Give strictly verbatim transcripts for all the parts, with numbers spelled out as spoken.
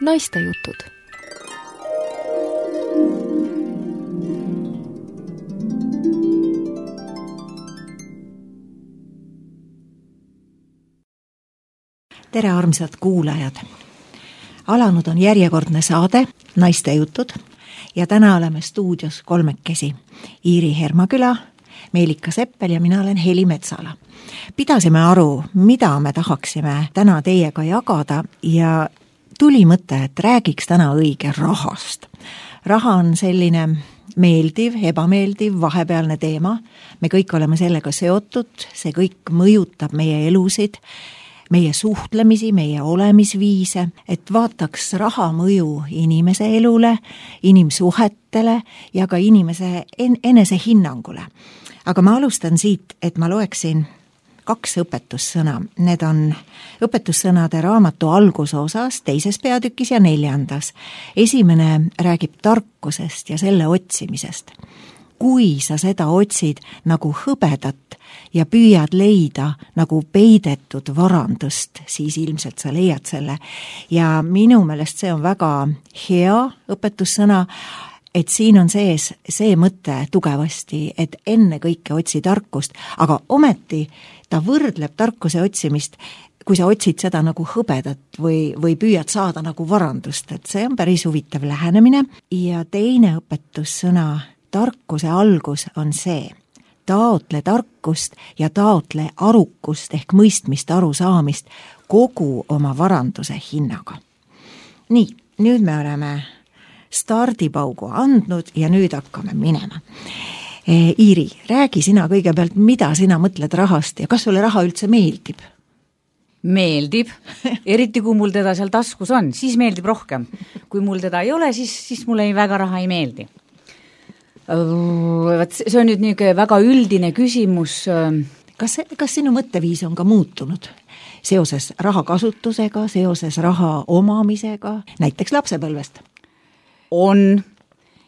Naistejutud. Tere armsad kuulajad! Alanud on järjekordne saade Naistejutud ja täna oleme stuudios kolmekesi. Iiri Hermaküla, Meelika Seppel ja mina olen Heli Metsala. Pidasime aru, mida me tahaksime täna teiega jagada ja tuli mõte, et räägiks täna õige rahast. Raha on selline meeldiv, ebameeldiv, vahepealne teema. Me kõik oleme sellega seotud, see kõik mõjutab meie elusid, meie suhtlemisi, meie olemisviise, et vaataks raha mõju inimese elule, inimsuhetele ja ka inimese en- enese hinnangule. Aga ma alustan siit, et ma loeksin kaks õpetussõna. Need on õpetussõnade raamatu algusosas, teises peatükis ja neljandas. Esimene räägib tarkusest ja selle otsimisest. Kui sa seda otsid nagu hõbedat ja püüad leida nagu peidetud varandust, siis ilmselt sa leiad selle. Ja minu meelest see on väga hea õpetussõna, et siin on sees see mõte tugevasti, et enne kõike otsi tarkust, aga ometi ta võrdleb tarkuse otsimist, kui sa otsid seda nagu hõbedat või, või püüad saada nagu varandust, et see on päris huvitav lähenemine. Ja teine õpetussõna, tarkuse algus on see, taotle tarkust ja taotle arukust ehk mõistmist, arusaamist kogu oma varanduse hinnaga. Nii, nüüd me oleme stardipaugu andnud ja nüüd hakkame minema. Iiri, räägi sina kõigepealt, mida sina mõtled rahast ja kas sulle raha üldse meeldib? Meeldib, eriti kui mul teda seal taskus on, siis meeldib rohkem. Kui mul teda ei ole, siis, siis mulle ei väga raha ei meeldi. See on nüüd niisugune väga üldine küsimus. Kas, kas sinu mõtteviis on ka muutunud seoses raha kasutusega, seoses raha omamisega, näiteks lapsepõlvest? On,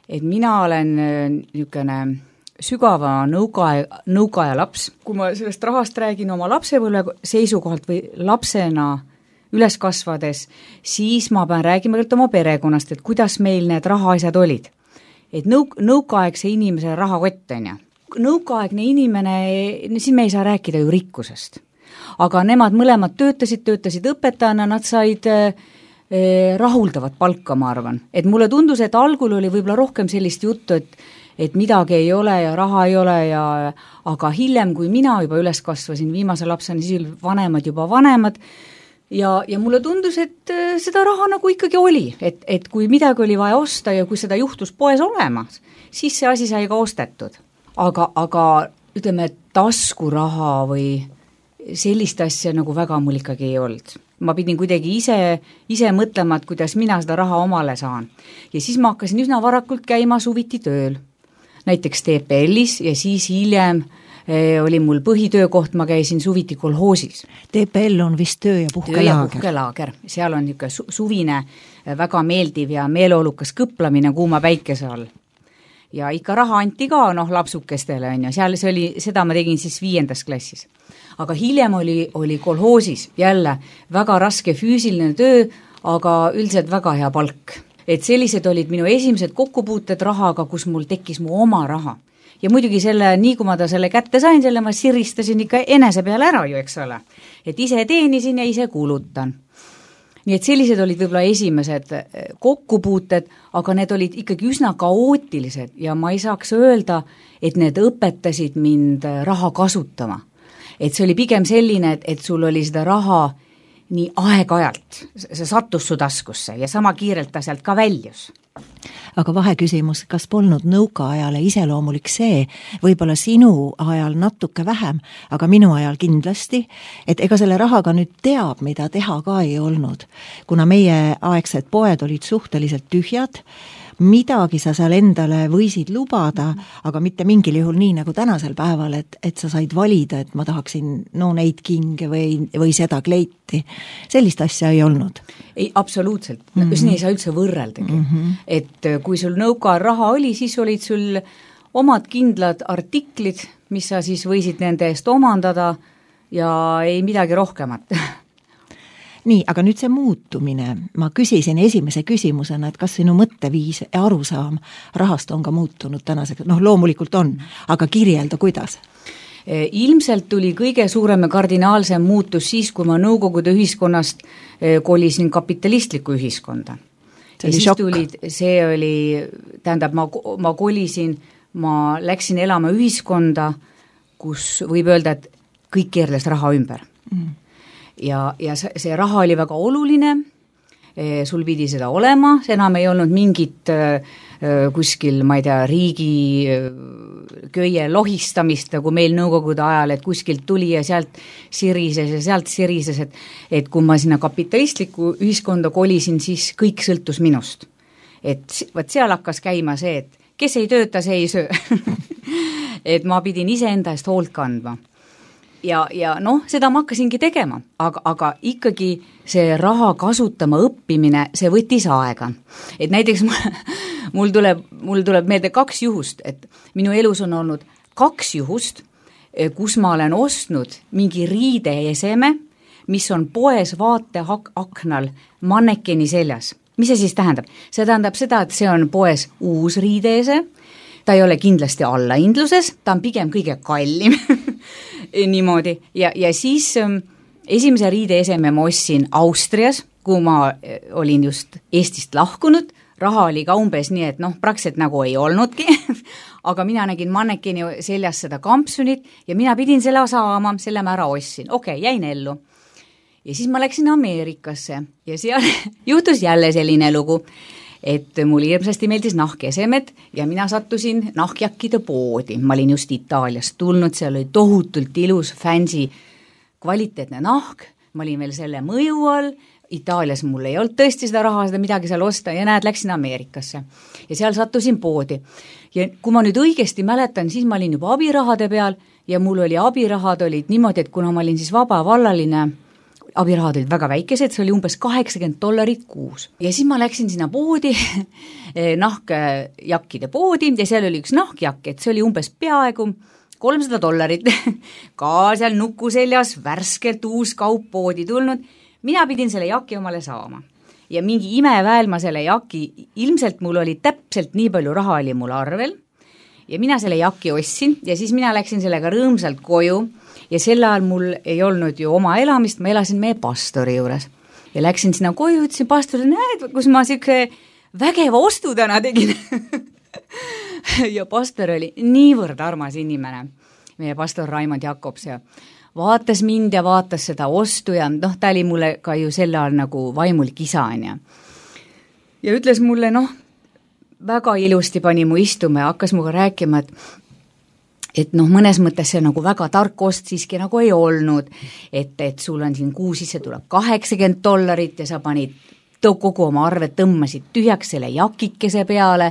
et mina olen niisugune sügava nõukaja, nõukaja laps. Kui ma sellest rahast räägin oma lapsepõlve seisukohalt või lapsena üles kasvades, siis ma pean räägima kõigepealt oma perekonnast, et kuidas meil need rahaasjad olid. Et nõuk, nõukaaegse inimese rahakott on ja. Nõukaaegne inimene, siin me ei saa rääkida ju rikkusest. Aga nemad mõlemad töötasid, töötasid õpetajana, nad said eh, rahuldavat palka, ma arvan. Et mulle tundus, et algul oli võib-olla rohkem sellist juttu, et, et midagi ei ole ja raha ei ole, ja, aga hiljem, kui mina juba üles kasvasin viimase lapsena, siis vanemad juba vanemad, Ja, ja mulle tundus, et seda raha nagu ikkagi oli, et, et kui midagi oli vaja osta ja kui seda juhtus poes olemas, siis see asi sai ka ostetud. Aga, aga ütleme, taskuraha või sellist asja nagu väga mul ikkagi ei olnud. Ma pidin kuidagi ise, ise mõtlema, et kuidas mina seda raha omale saan. Ja siis ma hakkasin üsna varakult käima suviti tööl. Näiteks T P L-is ja siis hiljem oli mul põhitöökoht, ma käisin suviti kolhoosis. T P L on vist töö- ja puhkelaager. Töö- ja puhkelaager. Seal on niisugune su- suvine väga meeldiv ja meeleolukas kõplamine kuuma päikese all. Ja ikka raha anti ka, noh, lapsukestele on ja seal see oli, seda ma tegin siis viiendas klassis. Aga hiljem oli, oli kolhoosis jälle väga raske füüsiline töö, aga üldiselt väga hea palk. Et sellised olid minu esimesed kokkupuuted rahaga, kus mul tekkis mu oma raha. Ja muidugi selle, nii kui ma ta selle kätte sain, selle ma siristasin ikka enese peale ära ju, eks ole. Et ise teenisin ja ise kulutan. Nii et sellised olid võib-olla esimesed kokkupuuted, aga need olid ikkagi üsna kaootilised ja ma ei saaks öelda, et need õpetasid mind raha kasutama. Et see oli pigem selline, et, et sul oli seda raha nii aeg-ajalt, see sattus su taskusse ja sama kiirelt ta sealt ka väljus. Aga vaheküsimus, kas polnud nõukaajale iseloomulik see, võib-olla sinu ajal natuke vähem, aga minu ajal kindlasti, et ega selle rahaga nüüd teab, mida teha ka ei olnud. Kuna meie aegsed poed olid suhteliselt tühjad, midagi sa seal endale võisid lubada, aga mitte mingil juhul nii nagu tänasel päeval, et, et sa said valida, et ma tahaksin no neid kinge või, või seda kleiti. Sellist asja ei olnud. Ei, absoluutselt. Mm-hmm. Siin ei saa üldse võrreldagi. Mm-hmm. Et kui sul nõukaajal raha oli, siis olid sul omad kindlad artiklid, mis sa siis võisid nende eest omandada ja ei midagi rohkemat. nii, aga nüüd see muutumine, ma küsisin esimese küsimusena, et kas sinu mõtteviis ja arusaam rahast on ka muutunud tänaseks, noh loomulikult on, aga kirjelda, kuidas? Ilmselt tuli kõige suurem ja kardinaalsem muutus siis, kui ma Nõukogude ühiskonnast kolisin kapitalistlikku ühiskonda. See oli šokk. Tulid, see oli, tähendab, ma, ma kolisin, ma läksin elama ühiskonda, kus võib öelda, et kõik keerles raha ümber. Mm. Ja, ja see raha oli väga oluline, sul pidi seda olema, see enam ei olnud mingit kuskil, ma ei tea, riigi köie lohistamist, nagu meil Nõukogude ajal, et kuskilt tuli ja sealt sirises ja sealt sirises, et, et kui ma sinna kapitalistlikku ühiskonda kolisin, siis kõik sõltus minust. Et võt seal hakkas käima see, et kes ei tööta, see ei söö. Et ma pidin iseenda eest hoolt kandma. Ja, ja noh, seda ma hakkasingi tegema, aga, aga ikkagi see raha kasutama õppimine, see võttis aega. Et näiteks mul, mul, tuleb, mul tuleb meelde kaks juhust, et minu elus on olnud kaks juhust, kus ma olen ostnud mingi riideeseme, mis on poes vaateaknal mannekeni seljas. Mis see siis tähendab? See tähendab seda, et see on poes uus riideese, ta ei ole kindlasti allahindluses, ta on pigem kõige kallim niimoodi. Ja, ja siis ähm, esimese riideeseme ma ostsin Austrias, kui ma olin just Eestist lahkunud, raha oli ka umbes nii, et noh, praktiliselt nagu ei olnudki, aga mina nägin mannekeni seljas seda kampsunit ja mina pidin selle saama, selle ma ära ostsin. Okei, okay, jäin ellu. Ja siis ma läksin Ameerikasse ja seal juhtus jälle selline lugu, et mul hirmsasti meeldis nahkesemed ja mina sattusin nahkjakkide poodi. Ma olin just Itaaliast tulnud, seal oli tohutult ilus, fancy, kvaliteetne nahk, ma olin veel selle mõju all, Itaalias mul ei olnud tõesti seda raha, seda midagi seal osta ja näed, läksin Ameerikasse. Ja seal sattusin poodi. Ja kui ma nüüd õigesti mäletan, siis ma olin juba abirahade peal ja mul oli abirahad olid niimoodi, et kuna ma olin siis vaba vallaline, abirahad olid väga väikesed, see oli umbes kaheksakümmend dollarit kuus. Ja siis ma läksin sinna poodi, nahkjakkide poodi ja seal oli üks nahkjakk, et see oli umbes peaaegu kolmsada dollarit. Ka seal nuku seljas värskelt uus kaup poodi tulnud. Mina pidin selle jaki omale saama. Ja mingi imeväel ma selle jaki, ilmselt mul oli täpselt nii palju raha oli mul arvel ja mina selle jaki ostsin ja siis mina läksin sellega rõõmsalt koju. Ja sel ajal mul ei olnud ju oma elamist, ma elasin meie pastori juures. Ja läksin sinna koju, ütlesin pastorile, näed, kus ma siuke vägeva ostu täna tegin. Ja pastor oli niivõrd armas inimene, meie pastor Raimond Jakobs, ja vaatas mind ja vaatas seda ostu ja noh, ta oli mulle ka ju sel ajal nagu vaimulik isa. Ja, ja ütles mulle, noh, väga ilusti pani mu istuma ja hakkas muga rääkima, et et noh, mõnes mõttes see nagu väga tark ost siiski nagu ei olnud, et, et sul on siin kuu sisse tuleb kaheksakümmend dollarit ja sa panid kogu oma arve, tõmmasid tühjaks selle jakikese peale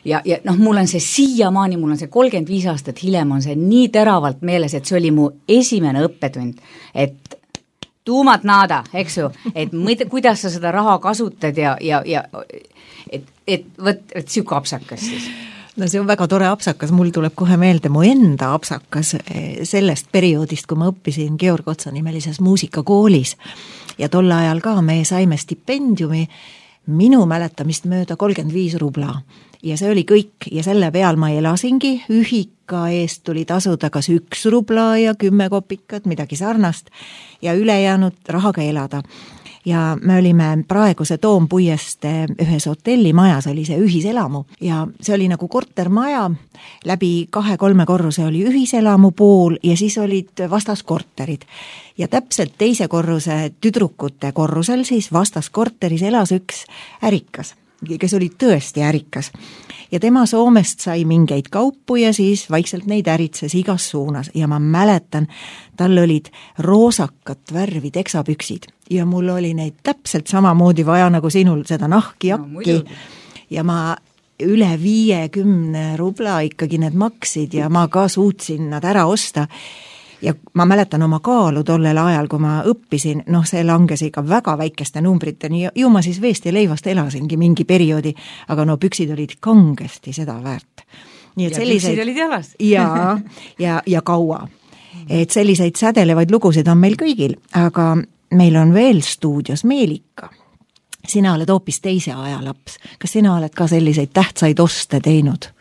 ja, ja noh, mul on see siiamaani, mul on see kolmkümmend viis aastat hiljem on see nii teravalt meeles, et see oli mu esimene õppetund, et tuumat naada, eks ju, et mõte, kuidas sa seda raha kasutad ja, ja, ja et, et võt, et siuke apsakas siis. No see on väga tore apsakas, mul tuleb kohe meelde mu enda apsakas sellest perioodist, kui ma õppisin Georg Otsa nimelises muusikakoolis ja tol ajal ka me saime stipendiumi minu mäletamist mööda kolmkümmend viis rubla ja see oli kõik ja selle peal ma elasingi, ühika eest tuli tasuda kas üks rubla ja kümme kopikat, midagi sarnast ja ülejäänud rahaga elada. Ja me olime praeguse Toompuieste ühes hotellimajas, oli see ühiselamu ja see oli nagu kortermaja, läbi kahe-kolme korruse oli ühiselamu pool ja siis olid vastas korterid. Ja täpselt teise korruse tüdrukute korrusel siis vastas korteris elas üks ärikas, kes oli tõesti ärikas. Ja tema Soomest sai mingeid kaupu ja siis vaikselt neid äritses igas suunas ja ma mäletan, tal olid roosakat värvi teksapüksid ja mul oli neid täpselt samamoodi vaja nagu sinul seda nahki jakki no, ja ma üle viiekümne rubla ikkagi need maksid ja ma ka suutsin nad ära osta. Ja ma mäletan oma kaalu tollel ajal, kui ma õppisin, noh see langes ikka väga väikeste numbriteni, ju ma siis veest ja leivast elasingi mingi perioodi, aga no püksid olid kangesti seda väärt. Nii, et ja selliseid, püksid olid jalas. ja, ja, ja kaua. Et selliseid sädelevaid lugusid on meil kõigil, aga meil on veel stuudios Meelika. Sina oled hoopis teise aja laps. Kas sina oled ka selliseid tähtsaid oste teinud?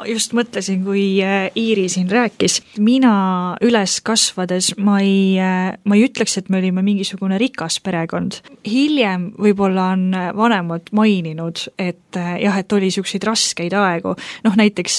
Just mõtlesin, kui Iiri siin rääkis. Mina üles kasvades ma ei, ma ei ütleks, et me olime mingisugune rikas perekond. Hiljem võib-olla on vanemad maininud, et jah, et oli siukseid raskeid aegu. Noh, näiteks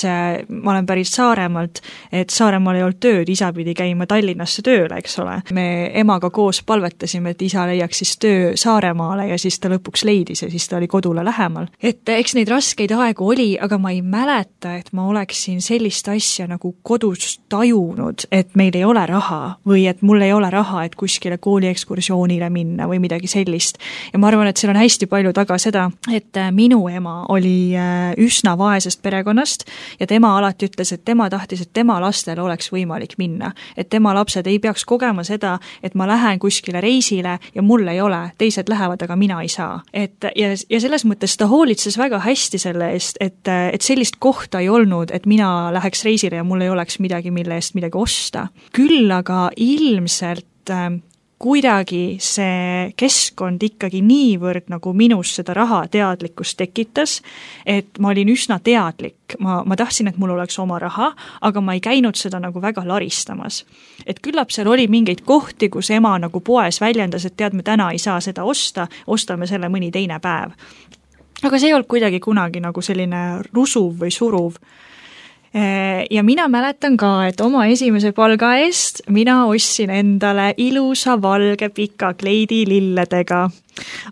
ma olen päris Saaremaalt, et Saaremaal ei olnud tööd, isa pidi käima Tallinnasse tööle, eks ole. Me emaga koos palvetasime, et isa leiaks siis töö Saaremaale ja siis ta lõpuks leidis ja siis ta oli kodule lähemal. Et eks neid raskeid aegu oli, aga ma ei mäleta, et ma oleksin sellist asja nagu kodus tajunud, et meil ei ole raha või et mul ei ole raha, et kuskile kooliekskursioonile minna või midagi sellist. Ja ma arvan, et seal on hästi palju taga seda, et minu ema oli üsna vaesest perekonnast ja tema alati ütles, et tema tahtis, et tema lastel oleks võimalik minna. Et tema lapsed ei peaks kogema seda, et ma lähen kuskile reisile ja mul ei ole, teised lähevad, aga mina ei saa. Et, ja, ja selles mõttes ta hoolitses väga hästi selle eest, et, et sellist kohta ei olnud, et mina läheks reisile ja mul ei oleks midagi, mille eest midagi osta. Küll aga ilmselt äh, kuidagi see keskkond ikkagi niivõrd nagu minus seda raha teadlikkust tekitas, et ma olin üsna teadlik. Ma, ma tahtsin, et mul oleks oma raha, aga ma ei käinud seda nagu väga laristamas. Et küllap seal oli mingeid kohti, kus ema nagu poes väljendas, et tead, me täna ei saa seda osta, ostame selle mõni teine päev. Aga see ei olnud kuidagi kunagi nagu selline rusuv või suruv. Ja mina mäletan ka, et oma esimese palga eest mina ostsin endale ilusa valge pika kleidi lilledega.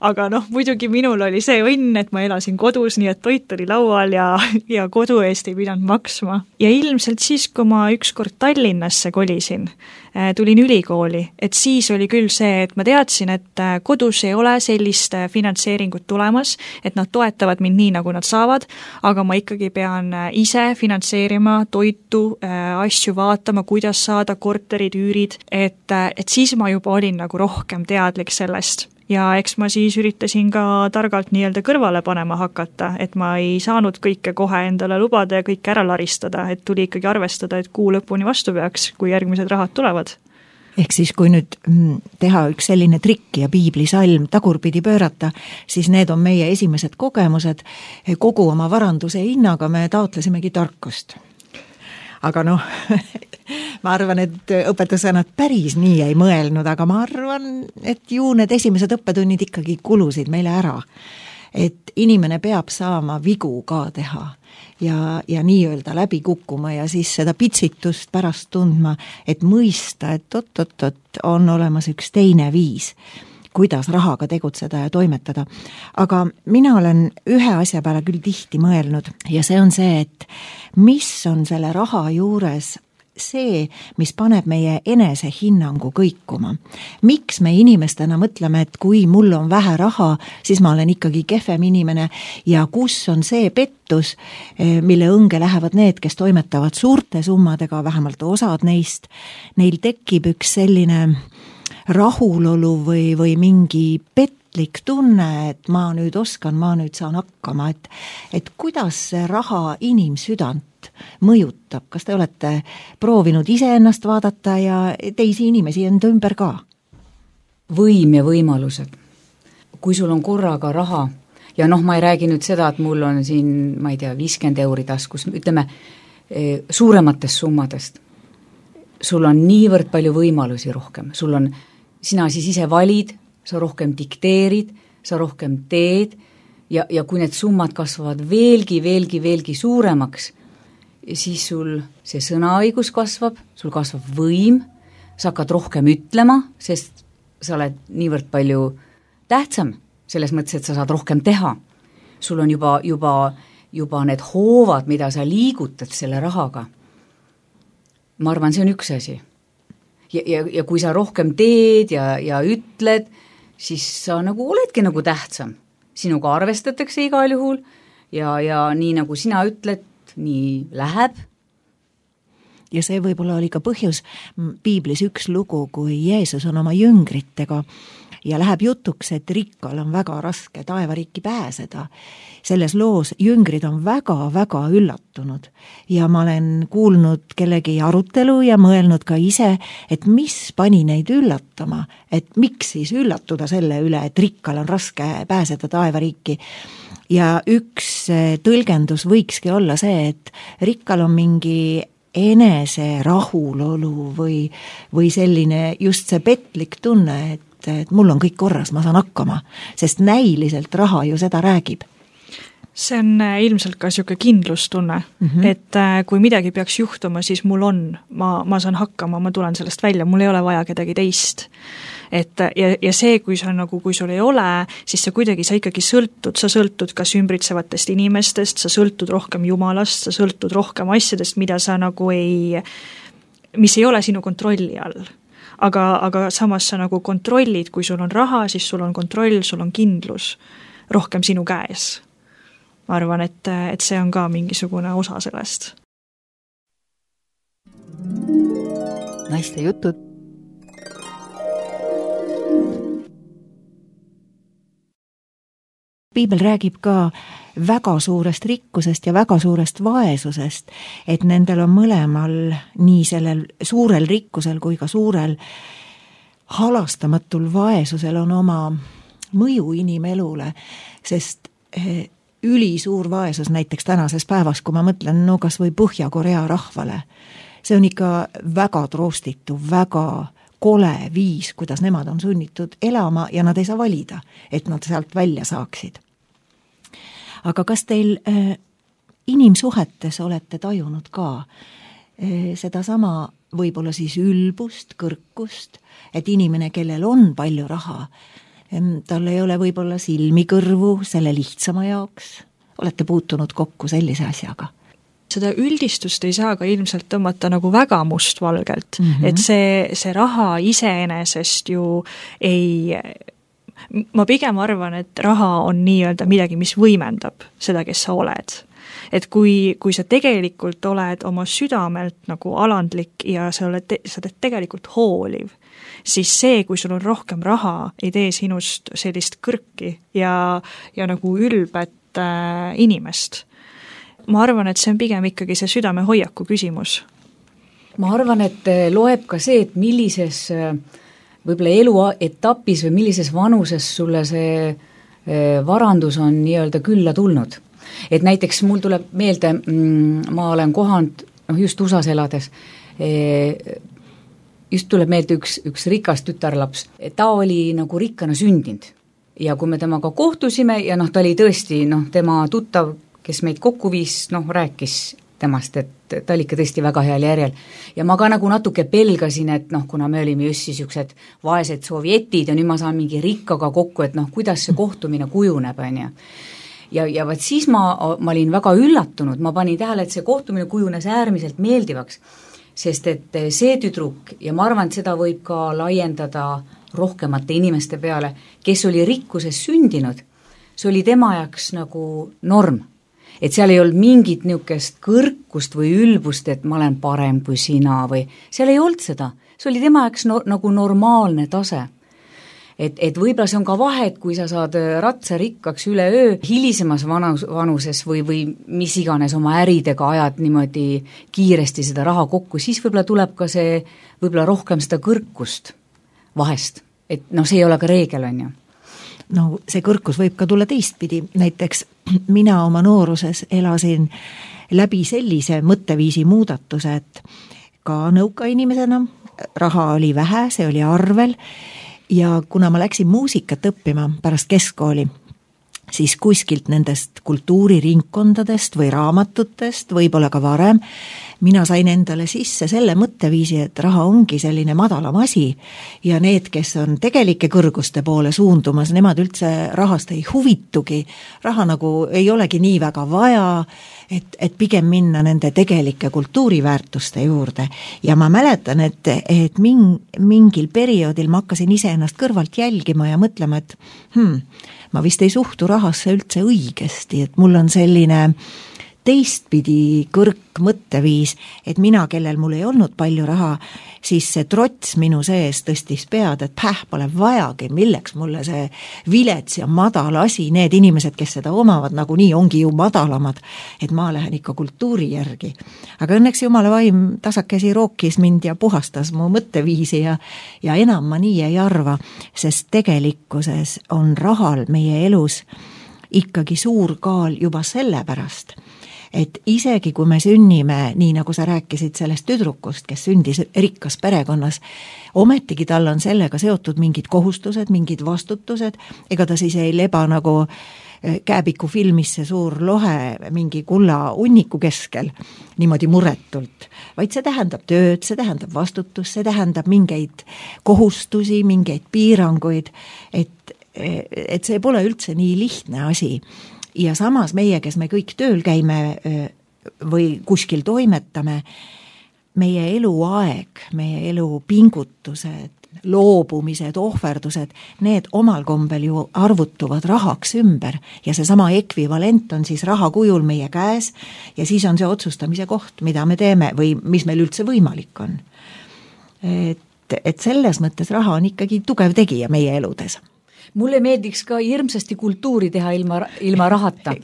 Aga noh, muidugi minul oli see õnn, et ma elasin kodus, nii et toit oli laual ja, ja kodu eest ei pidanud maksma. Ja ilmselt siis, kui ma ükskord Tallinnasse kolisin, tulin ülikooli, et siis oli küll see, et ma teadsin, et kodus ei ole sellist finantseeringut tulemas, et nad toetavad mind nii, nagu nad saavad, aga ma ikkagi pean ise finantseerima toitu, asju vaatama, kuidas saada korterid, üürid, et, et siis ma juba olin nagu rohkem teadlik sellest. Ja eks ma siis üritasin ka targalt nii-öelda kõrvale panema hakata, et ma ei saanud kõike kohe endale lubada ja kõike ära laristada, et tuli ikkagi arvestada, et kuu lõpuni vastu peaks, kui järgmised rahad tulevad. Ehk siis, kui nüüd teha üks selline trikk ja piiblisalm tagurpidi pöörata, siis need on meie esimesed kogemused. Kogu oma varanduse hinnaga me taotlesimegi tarkust. Aga noh, ma arvan, et õpetusõnad päris nii ei mõelnud, aga ma arvan, et ju need esimesed õppetunnid ikkagi kulusid meile ära. Et inimene peab saama vigu ka teha ja, ja nii-öelda läbi kukkuma ja siis seda pitsitust pärast tundma, et mõista, et oot-oot-oot on olemas üks teine viis, kuidas rahaga tegutseda ja toimetada. Aga mina olen ühe asja peale küll tihti mõelnud ja see on see, et mis on selle raha juures see, mis paneb meie enese hinnangu kõikuma. Miks me inimestena mõtleme, et kui mul on vähe raha, siis ma olen ikkagi kehvem inimene ja kus on see pettus, mille õnge lähevad need, kes toimetavad suurte summadega, vähemalt osad neist, neil tekib üks selline rahulolu või, või mingi petlik tunne, et ma nüüd oskan, ma nüüd saan hakkama, et, et kuidas see raha inimsüdant mõjutab, kas te olete proovinud iseennast vaadata ja teisi inimesi enda ümber ka? Võim ja võimalused. Kui sul on korraga raha ja noh, ma ei räägi nüüd seda, et mul on siin, ma ei tea, viiskümmend euri taskus, ütleme suurematest summadest. Sul on niivõrd palju võimalusi rohkem, sul on, sina siis ise valid, sa rohkem dikteerid, sa rohkem teed ja, ja kui need summad kasvavad veelgi, veelgi, veelgi suuremaks, siis sul see sõnaõigus kasvab, sul kasvab võim, sa hakkad rohkem ütlema, sest sa oled niivõrd palju tähtsam, selles mõttes, et sa saad rohkem teha. Sul on juba, juba, juba need hoovad, mida sa liigutad selle rahaga. Ma arvan, see on üks asi. Ja, ja, ja kui sa rohkem teed ja, ja ütled, siis sa nagu oledki nagu tähtsam. Sinuga arvestatakse igal juhul ja, ja nii nagu sina ütled, nii läheb. Ja see võib-olla oli ka põhjus piiblis üks lugu, kui Jeesus on oma jüngritega ja läheb jutuks, et rikkal on väga raske taevariiki pääseda. Selles loos jüngrid on väga-väga üllatunud ja ma olen kuulnud kellegi arutelu ja mõelnud ka ise, et mis pani neid üllatama, et miks siis üllatuda selle üle, et rikkal on raske pääseda taevariiki. Ja üks tõlgendus võikski olla see, et rikkal on mingi enese rahulolu või, või selline just see petlik tunne, et, et mul on kõik korras, ma saan hakkama, sest näiliselt raha ju seda räägib. See on ilmselt ka siuke kindlustunne, mm -hmm. et kui midagi peaks juhtuma, siis mul on, ma, ma saan hakkama, ma tulen sellest välja, mul ei ole vaja kedagi teist. Et ja, ja see, kui sa nagu, kui sul ei ole, siis sa kuidagi, sa ikkagi sõltud, sa sõltud kas ümbritsevatest inimestest, sa sõltud rohkem Jumalast, sa sõltud rohkem asjadest, mida sa nagu ei, mis ei ole sinu kontrolli all. Aga, aga samas sa nagu kontrollid, kui sul on raha, siis sul on kontroll, sul on kindlus rohkem sinu käes. Ma arvan, et, et see on ka mingisugune osa sellest. Naiste jutud. Piibel räägib ka väga suurest rikkusest ja väga suurest vaesusest, et nendel on mõlemal nii sellel suurel rikkusel kui ka suurel halastamatul vaesusel on oma mõju inimelule, sest ülisuur vaesus näiteks tänases päevas, kui ma mõtlen, no kas või Põhja-Korea rahvale, see on ikka väga troostitu, väga kole viis, kuidas nemad on sunnitud elama ja nad ei saa valida, et nad sealt välja saaksid. Aga kas teil äh, inimsuhetes olete tajunud ka äh, seda sama võib-olla siis ülbust, kõrkust, et inimene, kellel on palju raha, tal ei ole võib-olla silmi kõrvu selle lihtsama jaoks. Olete puutunud kokku sellise asjaga? Seda üldistust ei saa ka ilmselt tõmmata nagu väga mustvalgelt, mm -hmm. et see, see raha iseenesest ju ei, ma pigem arvan, et raha on nii-öelda midagi, mis võimendab seda, kes sa oled. Et kui, kui sa tegelikult oled oma südamelt nagu alandlik ja sa oled, sa oled tegelikult hooliv, siis see, kui sul on rohkem raha, ei tee sinust sellist kõrki ja, ja nagu ülbet äh, inimest. Ma arvan, et see on pigem ikkagi see südame hoiaku küsimus. Ma arvan, et loeb ka see, et millises võib-olla eluetapis või millises vanuses sulle see varandus on nii-öelda külla tulnud. Et näiteks mul tuleb meelde, ma olen kohanud, noh just U S A-s elades, just tuleb meelde üks, üks rikas tütarlaps, ta oli nagu rikkana sündinud ja kui me temaga kohtusime ja noh, ta oli tõesti, noh, tema tuttav, kes meid kokku viis, noh, rääkis temast, et ta oli ikka tõesti väga heal järjel. Ja ma ka nagu natuke pelgasin, et noh, kuna me olime just niisugused vaesed sovjetid ja nüüd ma saan mingi rikkaga kokku, et noh, kuidas see kohtumine kujuneb, on ju. Ja, ja vaat siis ma, ma olin väga üllatunud, ma panin tähele, et see kohtumine kujunes äärmiselt meeldivaks, sest et see tüdruk, ja ma arvan, et seda võib ka laiendada rohkemate inimeste peale, kes oli rikkuses sündinud, see oli tema jaoks nagu norm. Et seal ei olnud mingit niisugust kõrkust või ülbust, et ma olen parem kui sina või seal ei olnud seda. See oli tema jaoks no, nagu normaalne tase. Et, et võib-olla see on ka vahe, et kui sa saad ratsa rikkaks üle öö hilisemas vanus, vanuses või, või mis iganes oma äridega ajad niimoodi kiiresti seda raha kokku, siis võib-olla tuleb ka see, võib-olla rohkem seda kõrkust vahest. Et noh, see ei ole ka reegel, on ju. No see kõrkus võib ka tulla teistpidi, näiteks mina oma nooruses elasin läbi sellise mõtteviisi muudatuse, et ka nõuka inimesena raha oli vähe, see oli arvel ja kuna ma läksin muusikat õppima pärast keskkooli, siis kuskilt nendest kultuuriringkondadest või raamatutest, võib-olla ka varem, mina sain endale sisse selle mõtteviisi, et raha ongi selline madalam asi ja need, kes on tegelike kõrguste poole suundumas, nemad üldse rahast ei huvitugi, raha nagu ei olegi nii väga vaja, et, et pigem minna nende tegelike kultuuriväärtuste juurde. Ja ma mäletan, et, et ming, mingil perioodil ma hakkasin ise ennast kõrvalt jälgima ja mõtlema, et hmm, ma vist ei suhtu rahasse üldse õigesti, et mul on selline teistpidi kõrk mõtteviis, et mina, kellel mul ei olnud palju raha, siis see trots minu sees tõstis pead, et päh, pole vajagi, milleks mulle see vilets ja madal asi, need inimesed, kes seda omavad, nagunii ongi ju madalamad, et ma lähen ikka kultuuri järgi. Aga õnneks Jumala vaim tasakesi rookis mind ja puhastas mu mõtteviisi ja, ja enam ma nii ei arva, sest tegelikkuses on rahal meie elus ikkagi suur kaal juba sellepärast, et isegi kui me sünnime, nii nagu sa rääkisid sellest tüdrukust, kes sündis rikkas perekonnas, ometigi tal on sellega seotud mingid kohustused, mingid vastutused, ega ta siis ei leba nagu Kääbiku filmis see suur lohe mingi kulla unniku keskel, niimoodi muretult, vaid see tähendab tööd, see tähendab vastutust, see tähendab mingeid kohustusi, mingeid piiranguid, et, et see pole üldse nii lihtne asi. Ja samas meie, kes me kõik tööl käime või kuskil toimetame, meie eluaeg, meie elu pingutused, loobumised, ohverdused, need omal kombel ju arvutuvad rahaks ümber ja see sama ekvivalent on siis raha kujul meie käes ja siis on see otsustamise koht, mida me teeme või mis meil üldse võimalik on. Et, et selles mõttes raha on ikkagi tugev tegija meie eludes. Mulle meeldiks ka hirmsasti kultuuri teha ilma, ilma rahata,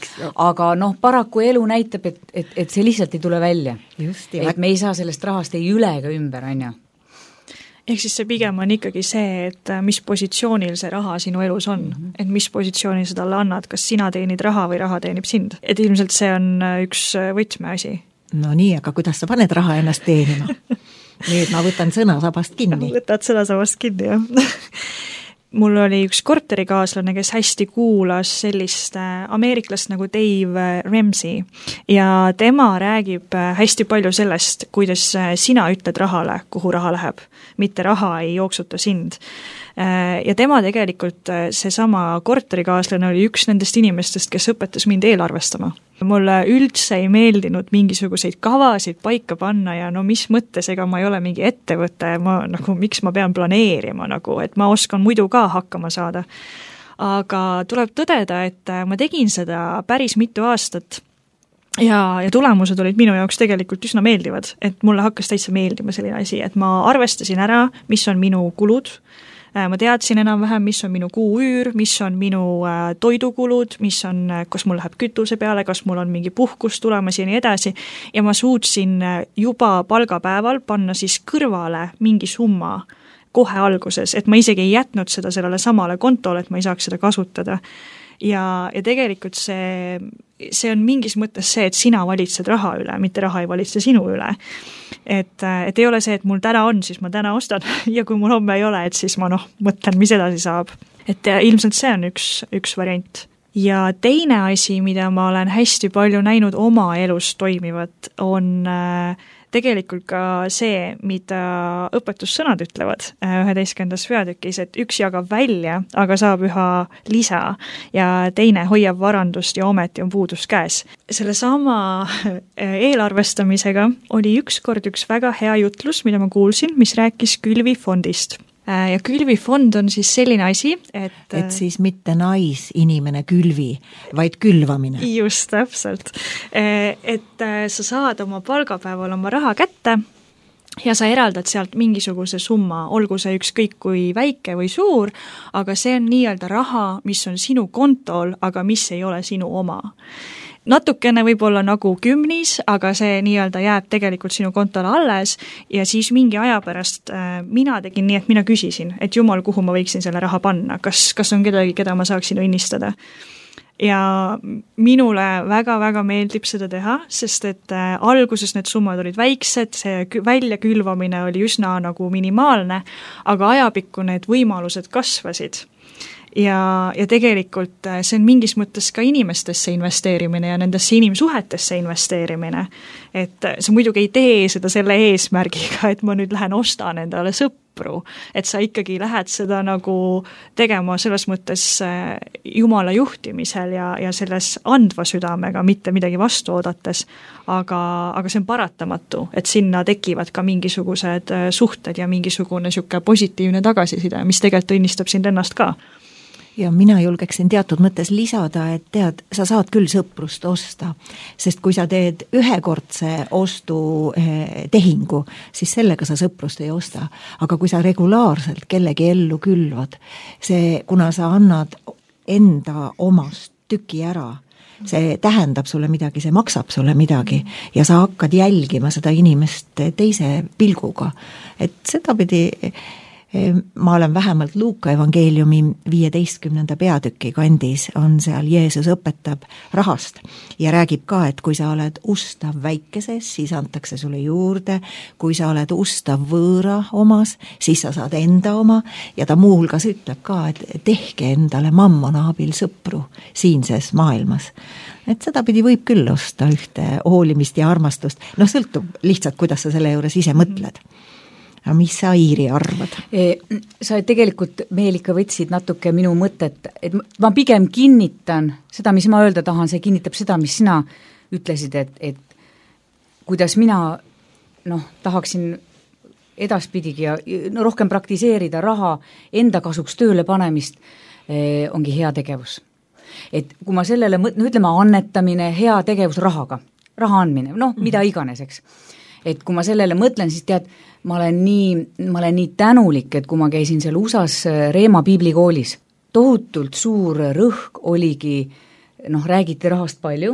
aga noh, paraku elu näitab, et, et, et see lihtsalt ei tule välja. Just, et me ei saa sellest rahast ei üle ega ümber, on ju. Ehk siis see pigem on ikkagi see, et mis positsioonil see raha sinu elus on, mm-hmm. et mis positsioonil sa talle annad, kas sina teenid raha või raha teenib sind. Et ilmselt see on üks võtmeasi. No nii, aga kuidas sa paned raha ennast teenima? Nüüd ma võtan sõnasabast kinni. Võtad sõnasabast kinni, jah. Mul oli üks korterikaaslane, kes hästi kuulas sellist ameeriklast nagu Dave Ramsey ja tema räägib hästi palju sellest, kuidas sina ütled rahale, kuhu raha läheb, mitte raha ei jooksuta sind. Ja tema tegelikult, seesama korterikaaslane oli üks nendest inimestest, kes õpetas mind eelarvestama. Mulle üldse ei meeldinud mingisuguseid kavasid paika panna ja no mis mõttes, ega ma ei ole mingi ettevõte, ma, nagu, miks ma pean planeerima, nagu, et ma oskan muidu ka hakkama saada. Aga tuleb tõdeda, et ma tegin seda päris mitu aastat ja, ja tulemused olid minu jaoks tegelikult üsna meeldivad, et mulle hakkas täitsa meeldima selline asi, et ma arvestasin ära, mis on minu kulud, ma teadsin enam-vähem, mis on minu kuuüür, mis on minu toidukulud, mis on, kas mul läheb kütuse peale, kas mul on mingi puhkus tulemas ja nii edasi. Ja ma suutsin juba palgapäeval panna siis kõrvale mingi summa kohe alguses, et ma isegi ei jätnud seda sellele samale kontole, et ma ei saaks seda kasutada. Ja, ja tegelikult see, see on mingis mõttes see, et sina valitsed raha üle, mitte raha ei valitse sinu üle. Et, et ei ole see, et mul täna on, siis ma täna ostan ja kui mul homme ei ole, et siis ma noh, mõtlen, mis edasi saab. Et ilmselt see on üks, üks variant. Ja teine asi, mida ma olen hästi palju näinud oma elus toimivat, on tegelikult ka see, mida õpetussõnad ütlevad üheteistkümnendas peatükis, et üks jagab välja, aga saab üha lisa ja teine hoiab varandust ja ometi on puudus käes. Selle sama eelarvestamisega oli ükskord üks väga hea jutlus, mida ma kuulsin, mis rääkis külvifondist. Ja külvifond on siis selline asi, et... Et siis mitte naisinimene külvi, vaid külvamine. Just, täpselt. Et sa saad oma palgapäeval oma raha kätte ja sa eraldad sealt mingisuguse summa, olgu see ükskõik kui väike või suur, aga see on nii-öelda raha, mis on sinu kontol, aga mis ei ole sinu oma. Natukene võib-olla nagu kümnis, aga see nii-öelda jääb tegelikult sinu kontole alles ja siis mingi aja pärast äh, mina tegin nii, et mina küsisin, et jumal, kuhu ma võiksin selle raha panna, kas, kas on kedagi, keda ma saaksin õnnistada. Ja minule väga-väga meeldib seda teha, sest et äh, alguses need summad olid väiksed, see väljakülvamine oli üsna nagu minimaalne, aga ajapikku need võimalused kasvasid. Ja, ja tegelikult see on mingis mõttes ka inimestesse investeerimine ja nendesse inimsuhetesse investeerimine. Et sa muidugi ei tee seda selle eesmärgiga, et ma nüüd lähen ostan endale sõpru, et sa ikkagi lähed seda nagu tegema selles mõttes Jumala juhtimisel ja, ja selles andva südamega, mitte midagi vastu oodates, aga, aga see on paratamatu, et sinna tekivad ka mingisugused suhted ja mingisugune siuke positiivne tagasiside, mis tegelikult õnnistab sind ennast ka. ja mina julgeksin teatud mõttes lisada, et tead, sa saad küll sõprust osta, sest kui sa teed ühekordse ostu tehingu, siis sellega sa sõprust ei osta. Aga kui sa regulaarselt kellegi ellu külvad, see, kuna sa annad enda omast tüki ära, see tähendab sulle midagi, see maksab sulle midagi ja sa hakkad jälgima seda inimest teise pilguga. Et seda pidi ma olen vähemalt Luuka evangeeliumi viieteistkümnenda peatüki kandis, on seal Jeesus õpetab rahast ja räägib ka, et kui sa oled ustav väikeses, siis antakse sulle juurde, kui sa oled ustav võõra omas, siis sa saad enda oma ja ta muuhulgas ütleb ka, et tehke endale mammona abil sõpru siinses maailmas. Et seda pidi võib küll osta ühte hoolimist ja armastust, noh sõltub lihtsalt, kuidas sa selle juures ise mõtled. Aga mis sa, Iiri, arvad? Sa tegelikult meil ikka võtsid natuke minu mõtet, et ma pigem kinnitan seda, mis ma öelda tahan, see kinnitab seda, mis sina ütlesid, et, et kuidas mina noh, tahaksin edaspidigi ja no, rohkem praktiseerida raha enda kasuks tööle panemist, eh, ongi hea tegevus. Et kui ma sellele, no ütleme, annetamine, hea tegevus rahaga, raha andmine, noh, mm-hmm. mida iganes, eks. Et kui ma sellele mõtlen, siis tead, ma olen nii, ma olen nii tänulik, et kui ma käisin seal U S A-s Reema piiblikoolis, tohutult suur rõhk oligi, noh, räägiti rahast palju,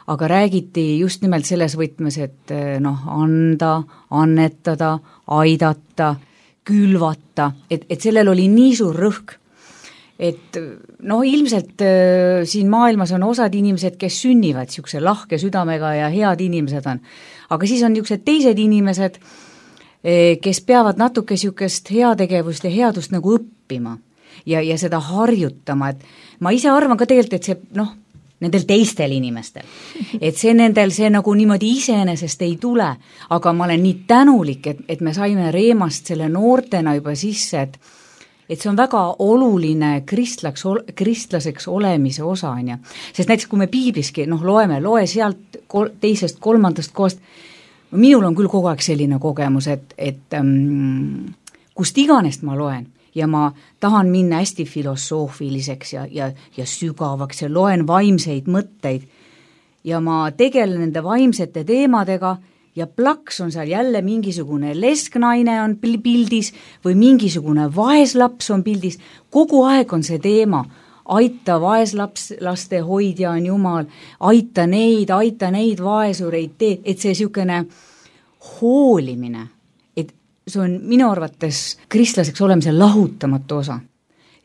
aga räägiti just nimelt selles võtmes, et noh, anda, annetada, aidata, külvata, et, et sellel oli nii suur rõhk, et noh, ilmselt äh, siin maailmas on osad inimesed, kes sünnivad niisuguse lahke südamega ja head inimesed on, aga siis on niisugused teised inimesed, kes peavad natuke niisugust heategevust ja headust nagu õppima ja, ja seda harjutama, et ma ise arvan ka tegelikult, et see noh, nendel teistel inimestel, et see nendel see nagu niimoodi iseenesest ei tule, aga ma olen nii tänulik, et, et me saime Reemast selle noortena juba sisse, et et see on väga oluline kristlaks, kristlaseks olemise osa, on ja. Sest näiteks kui me piibliski noh, loeme, loe sealt kol, teisest, kolmandast kohast, minul on küll kogu aeg selline kogemus, et, et um, kust iganes ma loen ja ma tahan minna hästi filosoofiliseks ja, ja, ja sügavaks ja loen vaimseid mõtteid ja ma tegelen nende vaimsete teemadega ja plaks on seal jälle mingisugune lesknaine on pildis või mingisugune vaeslaps on pildis, kogu aeg on see teema, aita vaeslaps, laste hoidja on Jumal, aita neid, aita neid vaesureid, tee, et see niisugune hoolimine, et see on minu arvates kristlaseks olemise lahutamatu osa.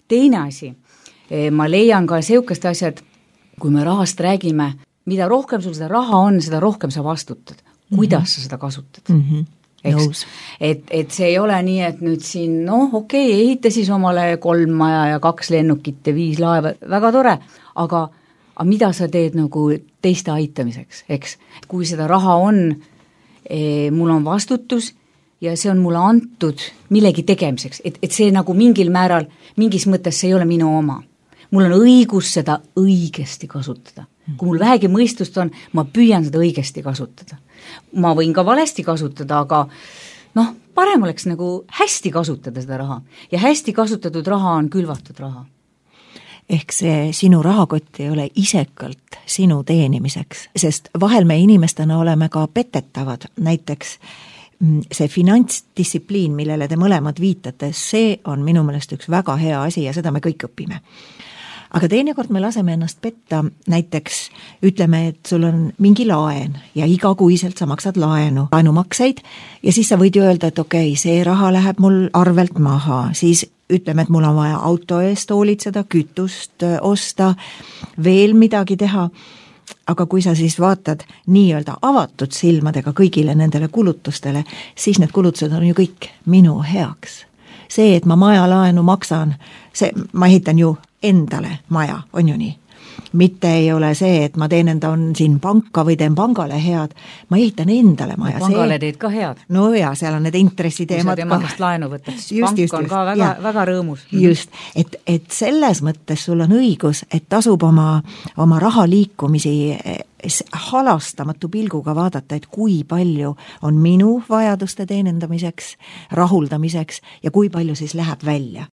Teine asi, ma leian ka niisugust asjad, kui me rahast räägime, mida rohkem sul seda raha on, seda rohkem sa vastutad. Kuidas mm-hmm. sa seda kasutad? Mm-hmm. Eks? Et, et see ei ole nii, et nüüd siin, noh, okei, okay, ehita siis omale kolm maja ja kaks lennukit ja viis laeva, väga tore, aga, aga mida sa teed nagu teiste aitamiseks, eks? Kui seda raha on, e, mul on vastutus ja see on mulle antud millegi tegemiseks, et, et see nagu mingil määral, mingis mõttes see ei ole minu oma. Mul on õigus seda õigesti kasutada. Kui mul vähegi mõistust on, ma püüan seda õigesti kasutada. Ma võin ka valesti kasutada, aga noh, parem oleks nagu hästi kasutada seda raha. Ja hästi kasutatud raha on külvatud raha. Ehk see sinu rahakott ei ole isekalt sinu teenimiseks, sest vahel me inimestena oleme ka petetavad, näiteks see finantsdistsipliin, millele te mõlemad viitate, see on minu meelest üks väga hea asi ja seda me kõik õpime. Aga teinekord me laseme ennast petta, näiteks ütleme, et sul on mingi laen ja igakuiselt sa maksad laenu, laenumakseid ja siis sa võid ju öelda, et okei, okay, see raha läheb mul arvelt maha, siis ütleme, et mul on vaja auto eest hoolitseda, kütust osta, veel midagi teha, aga kui sa siis vaatad nii-öelda avatud silmadega kõigile nendele kulutustele, siis need kulutused on ju kõik minu heaks. See, et ma maja laenu maksan, see, ma ehitan ju endale maja, on ju nii. Mitte ei ole see, et ma teen enda on siin panka või teen pangale head, ma ehitan endale maja. Pangale see... teed ka head. No ja, seal on need intressiteemad ka. Kui sa tema käest laenu võtad, siis pank just, on ka väga, väga rõõmus. Just, et, et selles mõttes sul on õigus, et tasub oma, oma raha liikumisi halastamatu pilguga vaadata, et kui palju on minu vajaduste teenendamiseks, rahuldamiseks ja kui palju siis läheb välja.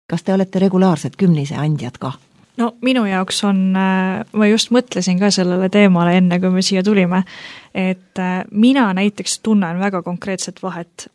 Kas te olete regulaarsed kümnise andjad ka? No minu jaoks on, ma just mõtlesin ka sellele teemale enne, kui me siia tulime, et mina näiteks tunnen väga konkreetset vahet.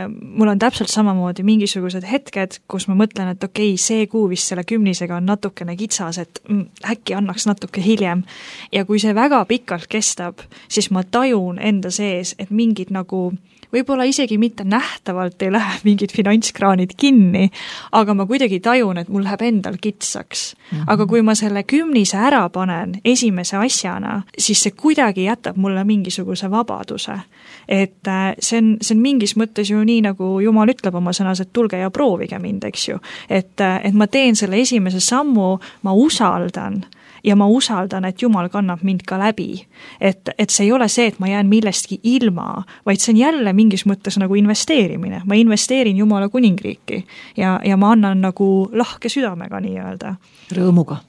Mul on täpselt samamoodi mingisugused hetked, kus ma mõtlen, et okei, see kuu vist selle kümnisega on natukene kitsas, et äkki annaks natuke hiljem. Ja kui see väga pikalt kestab, siis ma tajun enda sees, et mingid nagu võib-olla isegi mitte nähtavalt ei lähe mingid finantskraanid kinni, aga ma kuidagi tajun, et mul läheb endal kitsaks. Mm-hmm. Aga kui ma selle kümnise ära panen esimese asjana, siis see kuidagi jätab mulle mingisuguse vabaduse. Et see on, see on mingis mõttes ju nii, nagu Jumal ütleb oma sõnas, et tulge ja proovige mind, eks ju. Et, et ma teen selle esimese sammu, ma usaldan ja ma usaldan, et Jumal kannab mind ka läbi. Et, et see ei ole see, et ma jään millestki ilma, vaid see on jälle mingis mõttes nagu investeerimine. Ma investeerin Jumala kuningriiki ja, ja ma annan nagu lahke südamega nii öelda. Rõõmuga.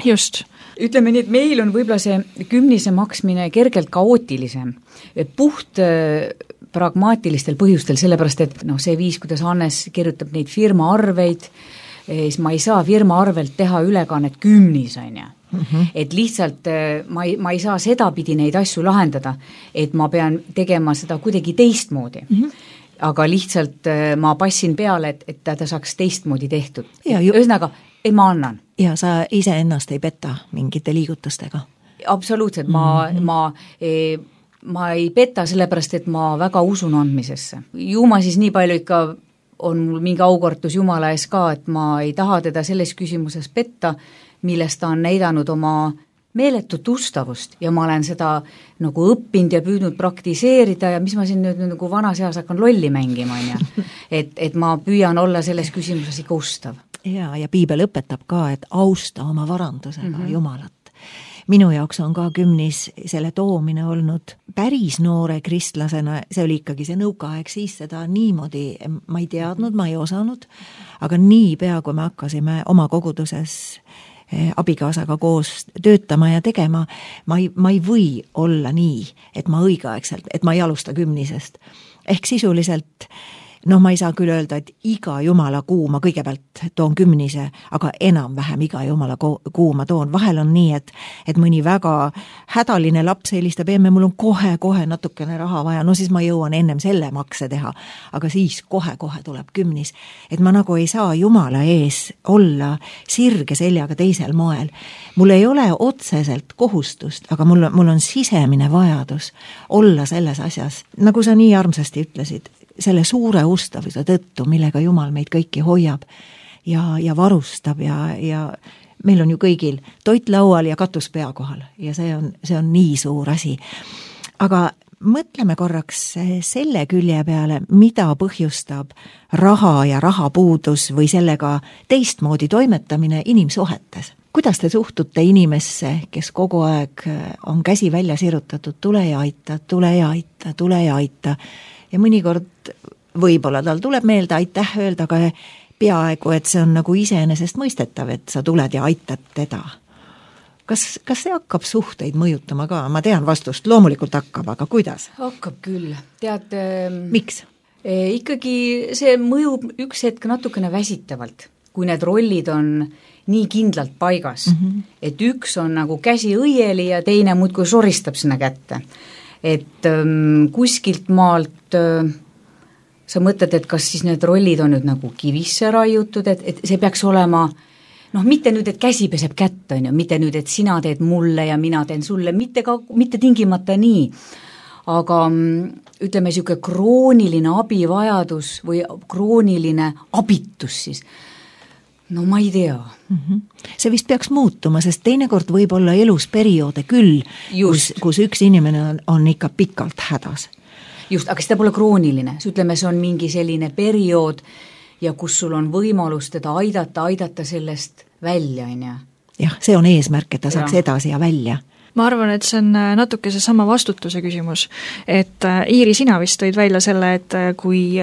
Just. Ütleme nii, et meil on võib-olla see kümnise maksmine kergelt kaootilisem. Puht pragmaatilistel põhjustel, sellepärast et no, see viis, kuidas Hannes kirjutab neid firma arveid, siis ma ei saa firma arvelt teha ülekannet kümnis, on ju. Mm-hmm. Et lihtsalt ma ei, ma ei saa sedapidi neid asju lahendada, et ma pean tegema seda kuidagi teistmoodi. Mm-hmm. aga lihtsalt ma passin peale, et, et ta saaks teistmoodi tehtud. Ju... Ühesõnaga, et ma annan. Ja sa ise ennast ei peta mingite liigutustega? Absoluutselt, ma, mm-hmm. ma, e, ma ei peta sellepärast, et ma väga usun andmisesse. Ju ma siis nii palju ikka on mul mingi aukartus Jumala ees ka, et ma ei taha teda selles küsimuses petta, millest ta on näidanud oma meeletut ustavust ja ma olen seda nagu õppinud ja püüdnud praktiseerida ja mis ma siin nüüd nagu vanas eas hakkan lolli mängima, on ja. Et, et ma püüan olla selles küsimuses ikka ustav. Ja, ja piibel õpetab ka, et austa oma varandusega mm-hmm. Jumalat. Minu jaoks on ka kümnis selle toomine olnud päris noore kristlasena, see oli ikkagi see nõukaaeg, siis seda niimoodi ma ei teadnud, ma ei osanud, aga nii pea, kui me hakkasime oma koguduses abikaasaga koos töötama ja tegema, ma ei, ma ei või olla nii, et ma õigeaegselt, et ma ei alusta kümnisest. Ehk sisuliselt, noh, ma ei saa küll öelda, et iga jumala kuu ma kõigepealt toon kümnise, aga enam-vähem iga jumala kuu ma toon. Vahel on nii, et, et mõni väga hädaline laps helistab, emme, mul on kohe-kohe natukene raha vaja, no siis ma jõuan ennem selle makse teha, aga siis kohe-kohe tuleb kümnis. Et ma nagu ei saa jumala ees olla sirge seljaga teisel moel. Mul ei ole otseselt kohustust, aga mul, mul on sisemine vajadus olla selles asjas, nagu sa nii armsasti ütlesid, selle suure ustavuse tõttu, millega Jumal meid kõiki hoiab ja, ja varustab ja, ja meil on ju kõigil toit laual ja katus pea kohal ja see on, see on nii suur asi. Aga mõtleme korraks selle külje peale, mida põhjustab raha ja rahapuudus või sellega teistmoodi toimetamine inimsuhetes. Kuidas te suhtute inimesse, kes kogu aeg on käsi välja sirutatud, tule ja aita, tule ja aita, tule ja aita ja mõnikord võib-olla tal tuleb meelde aitäh öelda, aga peaaegu, et see on nagu iseenesest mõistetav, et sa tuled ja aitad teda. Kas, kas see hakkab suhteid mõjutama ka? Ma tean vastust, loomulikult hakkab, aga kuidas? Hakkab küll. Tead, miks? Eh, ikkagi see mõjub üks hetk natukene väsitavalt, kui need rollid on nii kindlalt paigas, mm-hmm. et üks on nagu käsi õieli ja teine muudkui soristab sinna kätte. Et ähm, kuskilt maalt äh, sa mõtled, et kas siis need rollid on nüüd nagu kivisse raiutud, et, et see peaks olema, noh, mitte nüüd, et käsi peseb kätt, on ju, mitte nüüd, et sina teed mulle ja mina teen sulle, mitte, ka, mitte tingimata nii. Aga ütleme, niisugune krooniline abivajadus või krooniline abitus siis, no ma ei tea. Mm-hmm. See vist peaks muutuma, sest teinekord võib olla elus perioode küll, kus, kus üks inimene on, on ikka pikalt hädas. Just, aga seda pole krooniline. Ütleme, see on mingi selline periood ja kus sul on võimalus teda aidata, aidata sellest välja, on ja? Jah, see on eesmärk, et ta saaks ja. edasi ja välja. Ma arvan, et see on natuke see sama vastutuse küsimus, et Iiri, sina vist tõid välja selle, et kui,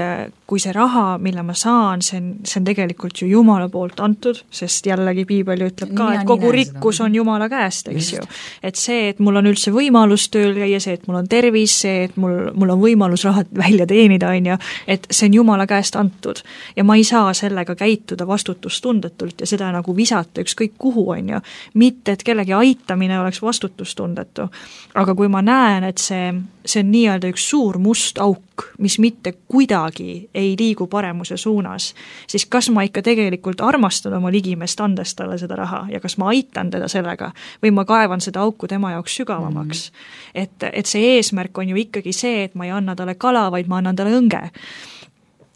kui see raha, mille ma saan, see on, see on tegelikult ju Jumala poolt antud, sest jällegi piibel ütleb ka, et kogu rikkus on Jumala käest, eks ju. Et see, et mul on üldse võimalus tööl käia, see, et mul on tervis, see, et mul, mul on võimalus raha välja teenida, on ju, et see on Jumala käest antud. Ja ma ei saa sellega käituda vastutustundetult ja seda nagu visata ükskõik kuhu, on ju. Mitte, et kellegi aitamine oleks vastutustundetu. Aga kui ma näen, et see, see on nii-öelda üks suur must auk, mis mitte kuidagi ei liigu paremuse suunas, siis kas ma ikka tegelikult armastan oma ligimest andes talle seda raha ja kas ma aitan teda sellega või ma kaevan seda auku tema jaoks sügavamaks. Mm-hmm. Et, et see eesmärk on ju ikkagi see, et ma ei anna talle kala, vaid ma annan talle õnge.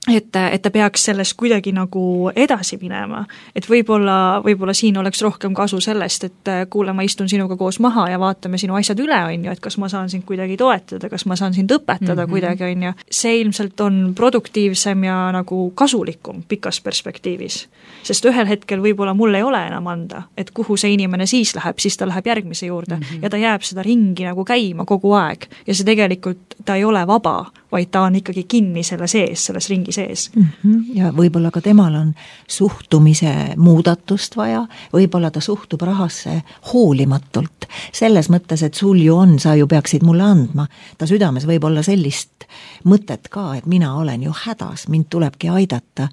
Et, et ta peaks sellest kuidagi nagu edasi minema, et võib-olla, võib-olla siin oleks rohkem kasu sellest, et kuule, ma istun sinuga koos maha ja vaatame sinu asjad üle, on ju, et kas ma saan sind kuidagi toetada, kas ma saan sind õpetada mm-hmm. kuidagi, on ju. See ilmselt on produktiivsem ja nagu kasulikum pikas perspektiivis, sest ühel hetkel võib-olla mul ei ole enam anda, et kuhu see inimene siis läheb, siis ta läheb järgmise juurde mm-hmm. ja ta jääb seda ringi nagu käima kogu aeg ja see tegelikult, ta ei ole vaba, vaid ta on ikkagi kinni selle sees, selles ringi sees. Mm-hmm. Ja võib-olla ka temal on suhtumise muudatust vaja, võib-olla ta suhtub rahasse hoolimatult, selles mõttes, et sul ju on, sa ju peaksid mulle andma. Ta südames võib olla sellist mõtet ka, et mina olen ju hädas, mind tulebki aidata.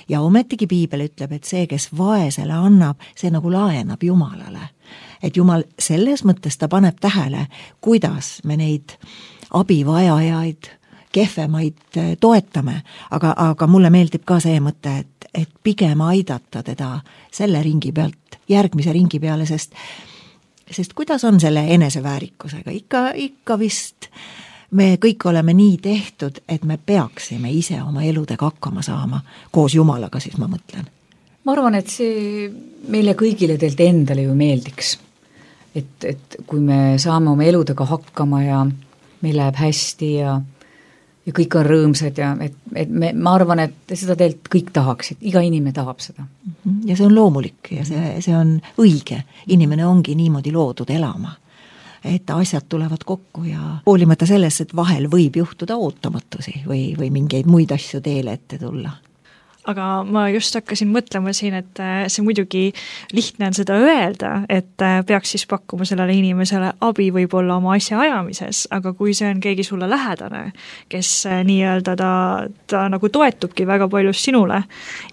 Ja ometigi piibel ütleb, et see, kes vaesele annab, see nagu laenab Jumalale. Et Jumal selles mõttes ta paneb tähele, kuidas me neid abivajajaid kehvemaid toetame, aga, aga mulle meeldib ka see mõte, et, et pigem aidata teda selle ringi pealt järgmise ringi peale, sest, sest kuidas on selle eneseväärikusega? Ikka, ikka vist me kõik oleme nii tehtud, et me peaksime ise oma eludega hakkama saama, koos Jumalaga siis ma mõtlen. Ma arvan, et see meile kõigile teilt endale ju meeldiks. Et, et kui me saame oma eludega hakkama ja meil läheb hästi ja, ja kõik on rõõmsad ja et, et me, ma arvan, et seda teilt kõik tahaksid, iga inimene tahab seda. Ja see on loomulik ja see, see on õige. Inimene ongi niimoodi loodud elama, et asjad tulevad kokku ja hoolimata sellest, et vahel võib juhtuda ootamatusi või, või mingeid muid asju teele ette tulla. Aga ma just hakkasin mõtlema siin, et see muidugi lihtne on seda öelda, et peaks siis pakkuma sellele inimesele abi võib-olla oma asja ajamises, aga kui see on keegi sulle lähedane, kes nii-öelda ta, ta nagu toetubki väga paljust sinule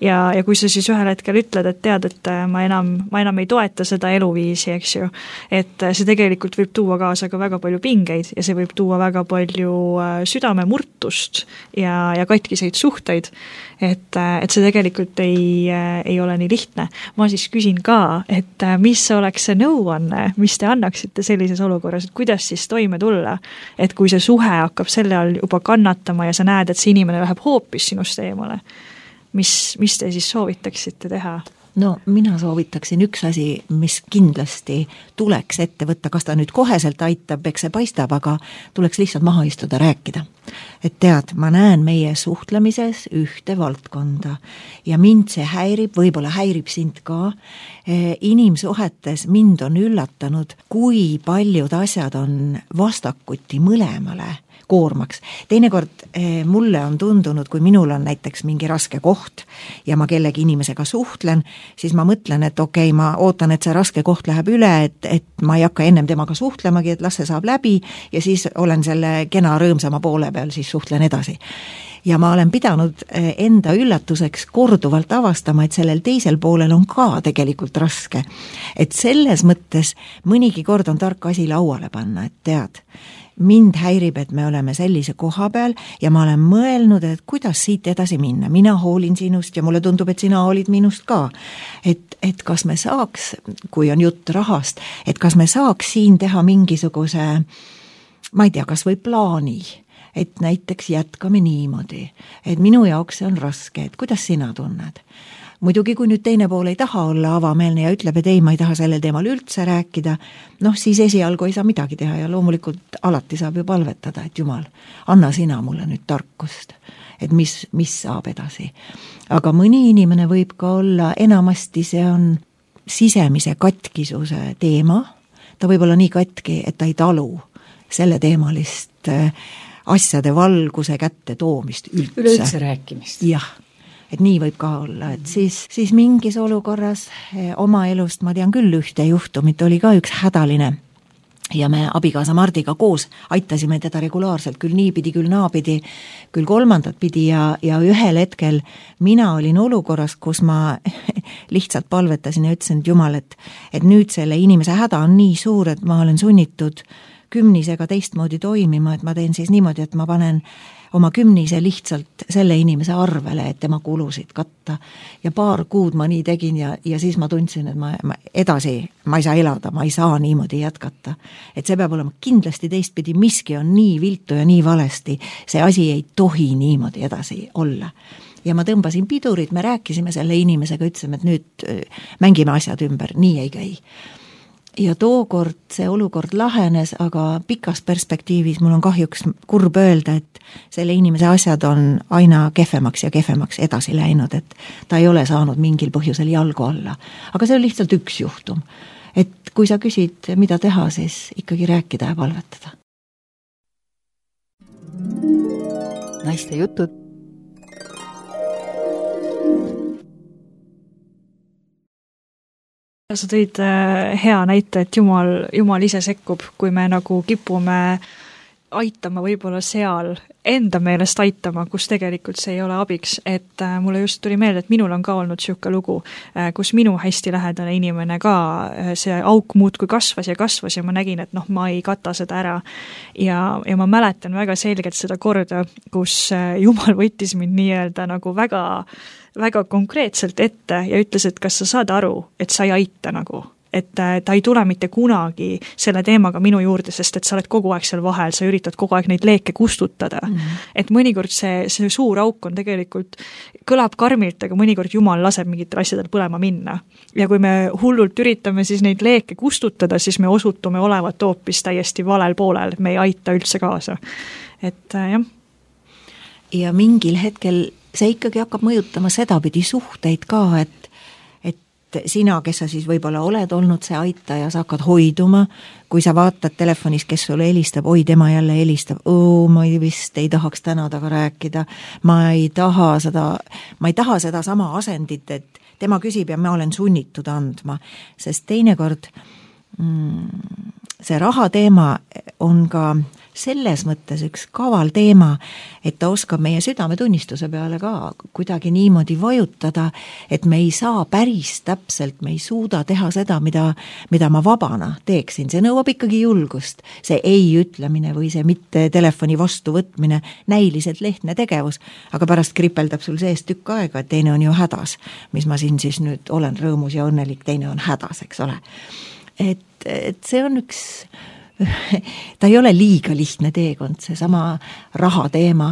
ja, ja kui sa siis ühel hetkel ütled, et tead, et ma enam, ma enam ei toeta seda eluviisi, eks ju, et see tegelikult võib tuua kaasa ka väga palju pingeid ja see võib tuua väga palju südamemurtust ja, ja katkiseid suhteid, et et see tegelikult ei, ei ole nii lihtne. Ma siis küsin ka, et mis oleks see nõuanne, mis te annaksite sellises olukorras, et kuidas siis toime tulla, et kui see suhe hakkab selle all juba kannatama ja sa näed, et see inimene läheb hoopis sinust eemale, mis, mis te siis soovitaksite teha? No mina soovitaksin üks asi, mis kindlasti tuleks ette võtta, kas ta nüüd koheselt aitab, eks see paistab, aga tuleks lihtsalt maha istuda, rääkida. Et tead, ma näen meie suhtlemises ühte valdkonda ja mind see häirib, võib-olla häirib sind ka. Inimsuhetes mind on üllatanud, kui paljud asjad on vastakuti mõlemale koormaks. Teinekord eh, mulle on tundunud, kui minul on näiteks mingi raske koht ja ma kellegi inimesega suhtlen, siis ma mõtlen, et okei, okay, ma ootan, et see raske koht läheb üle, et, et ma ei hakka ennem temaga suhtlemagi, et las see saab läbi ja siis olen selle kena rõõmsama poole peal, siis suhtlen edasi. Ja ma olen pidanud enda üllatuseks korduvalt avastama, et sellel teisel poolel on ka tegelikult raske. Et selles mõttes mõnigi kord on tark asi lauale panna, et tead, mind häirib, et me oleme sellise koha peal ja ma olen mõelnud, et kuidas siit edasi minna. Mina hoolin sinust ja mulle tundub, et sina hoolid minust ka. Et, et kas me saaks, kui on jutt rahast, et kas me saaks siin teha mingisuguse, ma ei tea, kas või plaani, et näiteks jätkame niimoodi, et minu jaoks see on raske, et kuidas sina tunned? Muidugi, kui nüüd teine pool ei taha olla avameelne ja ütleb, et ei, ma ei taha sellel teemal üldse rääkida, noh siis esialgu ei saa midagi teha ja loomulikult alati saab ju palvetada, et Jumal, anna sina mulle nüüd tarkust, et mis, mis saab edasi. Aga mõni inimene võib ka olla, enamasti see on sisemise katkisuse teema, ta võib olla nii katki, et ta ei talu selle teemalist asjade valguse kätte toomist üldse. Üleüldse rääkimist. Jah. Et nii võib ka olla, et siis, siis mingis olukorras oma elust, ma tean küll ühte juhtumit, oli ka üks hädaline ja me abikaasa Mardiga koos aitasime teda regulaarselt, küll niipidi, küll naapidi, küll kolmandat pidi ja, ja ühel hetkel mina olin olukorras, kus ma lihtsalt palvetasin ja ütlesin, et Jumal, et, et nüüd selle inimese häda on nii suur, et ma olen sunnitud kümnisega teistmoodi toimima, et ma teen siis niimoodi, et ma panen oma kümnise lihtsalt selle inimese arvele, et tema kulusid katta. Ja paar kuud ma nii tegin ja, ja siis ma tundsin, et ma, ma edasi, ma ei saa elada, ma ei saa niimoodi jätkata. Et see peab olema kindlasti teistpidi, miski on nii viltu ja nii valesti, see asi ei tohi niimoodi edasi olla. Ja ma tõmbasin pidurid, me rääkisime selle inimesega, ütlesime, et nüüd mängime asjad ümber, nii ei käi. Ja tookord see olukord lahenes, aga pikas perspektiivis mul on kahjuks kurb öelda, et selle inimese asjad on aina kehvemaks ja kehvemaks edasi läinud, et ta ei ole saanud mingil põhjusel jalgu alla. Aga see on lihtsalt üks juhtum. Et kui sa küsid, mida teha, siis ikkagi rääkida ja palvetada. Naiste jutud. Sa tõid hea näite, et Jumal, Jumal ise sekkub, kui me nagu kipume aitama võib-olla seal, enda meelest aitama, kus tegelikult see ei ole abiks, et äh, mulle just tuli meelde, et minul on ka olnud niisugune lugu, äh, kus minu hästi lähedane inimene ka, äh, see auk muudkui kasvas ja kasvas ja ma nägin, et noh, ma ei kata seda ära. Ja, ja ma mäletan väga selgelt seda korda, kus äh, Jumal võttis mind nii-öelda nagu väga, väga konkreetselt ette ja ütles, et kas sa saad aru, et sa ei aita nagu. Et ta ei tule mitte kunagi selle teemaga minu juurde, sest et sa oled kogu aeg seal vahel, sa üritad kogu aeg neid leeke kustutada. Mm-hmm. Et mõnikord see, see suur auk on tegelikult, kõlab karmilt, aga mõnikord Jumal laseb mingitel asjadel põlema minna. Ja kui me hullult üritame siis neid leeke kustutada, siis me osutume olevat hoopis täiesti valel poolel, me ei aita üldse kaasa. Et jah. Ja mingil hetkel see ikkagi hakkab mõjutama sedapidi suhteid ka, et sina, kes sa siis võib-olla oled olnud see aitaja, sa hakkad hoiduma, kui sa vaatad telefonis, kes sulle helistab, oi, tema jälle helistab, oo, ma ei vist ei tahaks täna taga rääkida, ma ei taha seda, ma ei taha seda sama asendit, et tema küsib ja ma olen sunnitud andma, sest teinekord mm, see raha teema on ka selles mõttes üks kaval teema, et ta oskab meie südametunnistuse peale ka kuidagi niimoodi vajutada, et me ei saa päris täpselt, me ei suuda teha seda, mida, mida ma vabana teeksin. See nõuab ikkagi julgust. See ei ütlemine või see mitte telefoni vastuvõtmine, näiliselt lehtne tegevus, aga pärast kripeldab sul sees tükk aega, et teine on ju hädas. Mis ma siin siis nüüd olen rõõmus ja õnnelik, teine on hädas, eks ole. Et, et see on üks ta ei ole liiga lihtne teekond, see sama raha teema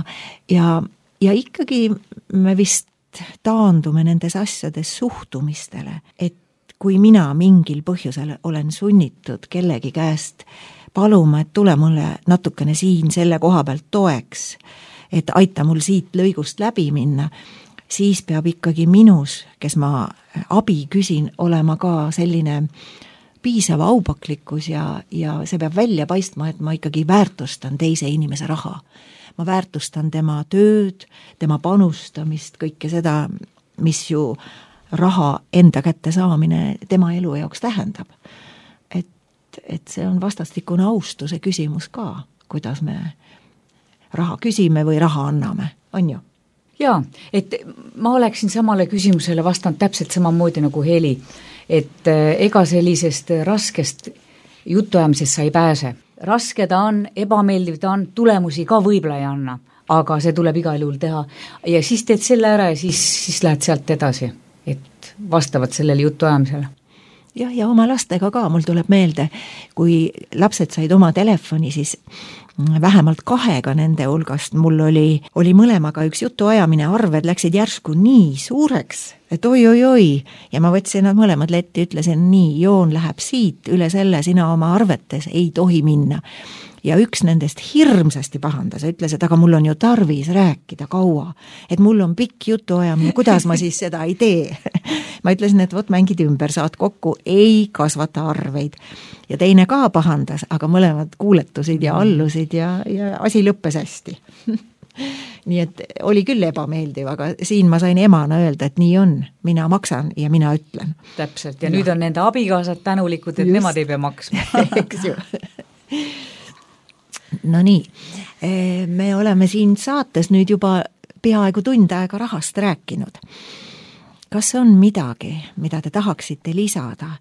ja, ja ikkagi me vist taandume nendes asjades suhtumistele, et kui mina mingil põhjusel olen sunnitud kellegi käest paluma, et tule mulle natukene siin selle koha pealt toeks, et aita mul siit lõigust läbi minna, siis peab ikkagi minus, kes ma abi küsin, olema ka selline piisav aupaklikkus ja, ja see peab välja paistma, et ma ikkagi väärtustan teise inimese raha. Ma väärtustan tema tööd, tema panustamist, kõike seda, mis ju raha enda kätte saamine tema elu jaoks tähendab. Et, et see on vastastikune austuse küsimus ka, kuidas me raha küsime või raha anname, on ju? Jaa, et ma oleksin samale küsimusele vastanud täpselt samamoodi nagu Heli, et ega sellisest raskest jutuajamisest sa ei pääse. Raske ta on, ebameeldiv ta on, tulemusi ka võib-olla ei anna, aga see tuleb igal juhul teha. Ja siis teed selle ära ja siis, siis lähed sealt edasi, et vastavad sellele jutuajamisele. Jah, ja oma lastega ka, mul tuleb meelde, kui lapsed said oma telefoni, siis vähemalt kahega nende hulgast mul oli, oli mõlemaga üks jutuajamine, arved läksid järsku nii suureks, et oi, oi, oi, ja ma võtsin nad mõlemad letti, ütlesin nii, joon läheb siit, üle selle sina oma arvetes ei tohi minna. Ja üks nendest hirmsasti pahandas, ütles, et aga mul on ju tarvis rääkida kaua, et mul on pikk jutuajamine, kuidas ma siis seda ei tee. Ma ütlesin, et võt mängid ümber, saad kokku, ei kasvata arveid. Ja teine ka pahandas, aga mõlemad kuuletusid ja allusid ja, ja asi lõppes hästi. Nii et oli küll ebameeldiv, aga siin ma sain emana öelda, et nii on, mina maksan ja mina ütlen. Täpselt, ja, ja. Nüüd on nende abikaasad tänulikud, et Just. Nemad ei pea maksma. Eks ju. No nii, me oleme siin saates nüüd juba peaaegu tund aega rahast rääkinud. Kas on midagi, mida te tahaksite lisada?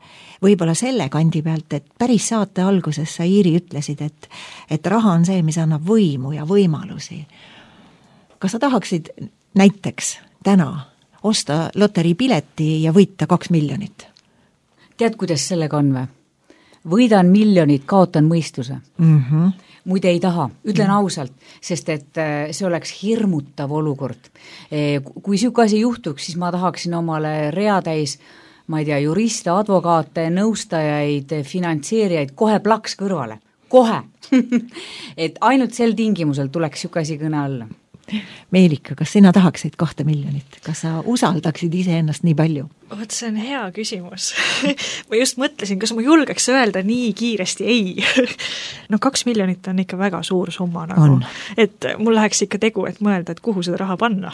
Võib-olla selle kandi pealt, et päris saate alguses sa, Iiri, ütlesid, et, et raha on see, mis annab võimu ja võimalusi. Kas sa tahaksid näiteks täna osta loteriipileti ja võita kaks miljonit? Tead, kuidas sellega on või? Võidan miljonit, kaotan mõistuse. Mm-hmm. Muide ei taha, ütlen mm. ausalt, sest et see oleks hirmutav olukord. Kui siuke asi juhtuks, siis ma tahaksin omale reatäis, ma ei tea, juriste, advokaate, nõustajaid, finantseerijaid kohe plaks kõrvale. Kohe! Et ainult sel tingimusel tuleks siuke asi kõne alla. Meelika, kas sina tahaksid kahte miljonit? Kas sa usaldaksid iseennast nii palju? Oot, see on hea küsimus. Ma just mõtlesin, kas ma julgeks öelda nii kiiresti ei. No kaks miljonit on ikka väga suur summa nagu. Et mul läheks ikka tegu, et mõelda, et kuhu seda raha panna.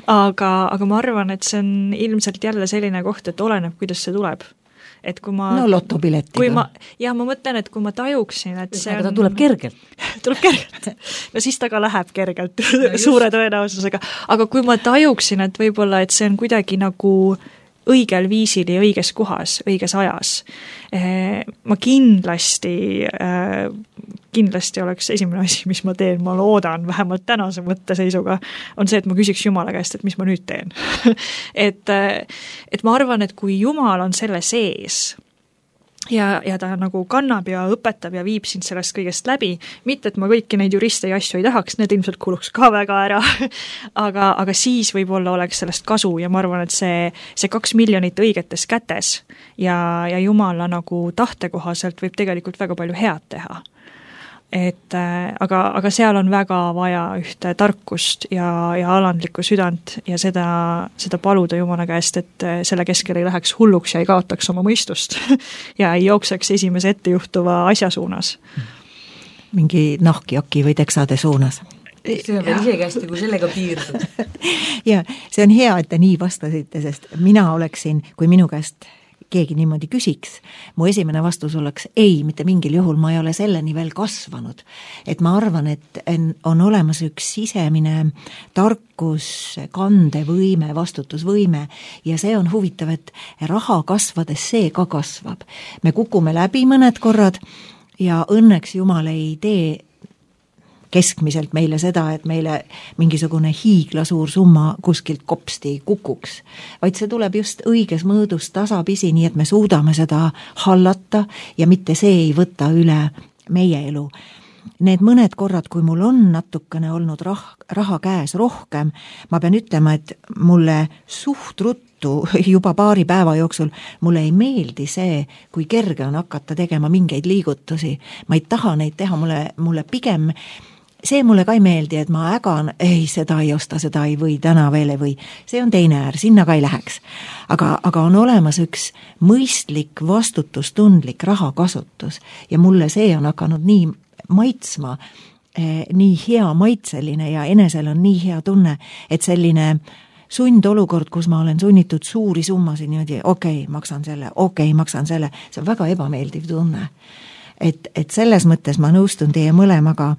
aga, aga ma arvan, et see on ilmselt jälle selline koht, et oleneb, kuidas see tuleb. et kui ma no lotopiletiga. kui ma, ja ma mõtlen, et kui ma tajuksin, et see aga on ta tuleb kergelt. tuleb kergelt. No siis ta ka läheb kergelt no suure tõenäosusega. Aga kui ma tajuksin, et võib-olla, et see on kuidagi nagu õigel viisil ja õiges kohas, õiges ajas. Ma kindlasti, kindlasti oleks esimene asi, mis ma teen, ma loodan, vähemalt tänase mõtteseisuga, on see, et ma küsiks Jumala käest, et mis ma nüüd teen. et, et ma arvan, et kui Jumal on selle sees, ja, ja ta nagu kannab ja õpetab ja viib sind sellest kõigest läbi, mitte et ma kõiki neid juriste ja asju ei tahaks, need ilmselt kuluks ka väga ära, aga, aga siis võib-olla oleks sellest kasu ja ma arvan, et see, see kaks miljonit õigetes kätes ja, ja Jumala nagu tahte kohaselt võib tegelikult väga palju head teha. Et äh, aga, aga seal on väga vaja ühte tarkust ja, ja alandlikku südant ja seda, seda paluda Jumala käest, et selle keskel ei läheks hulluks ja ei kaotaks oma mõistust ja ei jookseks esimese ettejuhtuva asja suunas. Mingi nahkjaki või teksade suunas. See on veel isegi hästi, kui sellega piirdud. ja see on hea, et te nii vastasite, sest mina oleksin, kui minu käest keegi niimoodi küsiks, mu esimene vastus oleks ei, mitte mingil juhul ma ei ole selleni veel kasvanud. Et ma arvan, et on olemas üks sisemine tarkus, kandevõime, vastutusvõime ja see on huvitav, et raha kasvades see ka kasvab. Me kukume läbi mõned korrad ja õnneks Jumal ei tee keskmiselt meile seda, et meile mingisugune hiiglasuur summa kuskilt kopsti kukuks, vaid see tuleb just õiges mõõdus tasapisi, nii et me suudame seda hallata ja mitte see ei võta üle meie elu. Need mõned korrad, kui mul on natukene olnud rah- raha käes rohkem, ma pean ütlema, et mulle suht ruttu juba paari päeva jooksul mulle ei meeldi see, kui kerge on hakata tegema mingeid liigutusi. Ma ei taha neid teha, mulle, mulle pigem see mulle ka ei meeldi, et ma ägan, ei, seda ei osta, seda ei või, täna veel ei või. See on teine äär, sinna ka ei läheks. Aga, aga on olemas üks mõistlik, vastutustundlik rahakasutus ja mulle see on hakanud nii maitsma, eh, nii hea maitseline ja enesel on nii hea tunne, et selline sundolukord, kus ma olen sunnitud suuri summasid niimoodi, okei, okay, maksan selle, okei, okay, maksan selle, see on väga ebameeldiv tunne. Et, et selles mõttes ma nõustun teie mõlemaga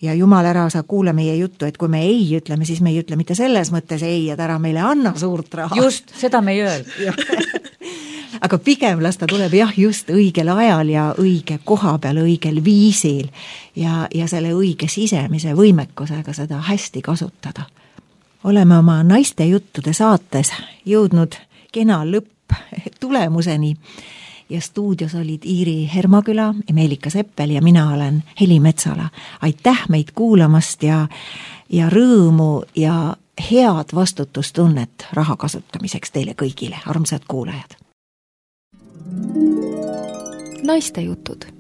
ja Jumal ära sa kuule meie juttu, et kui me ei ütleme, siis me ei ütle mitte selles mõttes ei, et ära meile anna suurt raha. Just, seda me ei öelnud. Aga pigem las ta tuleb jah just õigel ajal ja õige koha peal, õigel viisil ja, ja selle õige sisemise võimekusega seda hästi kasutada. Oleme oma naiste juttude saates jõudnud kena lõpp tulemuseni ja stuudios olid Iiri Hermaküla, Meelika Seppel ja mina olen Heli Metsala. Aitäh meid kuulamast ja, ja rõõmu ja head vastutustunnet raha kasutamiseks teile kõigile, armsad kuulajad. Naiste jutud.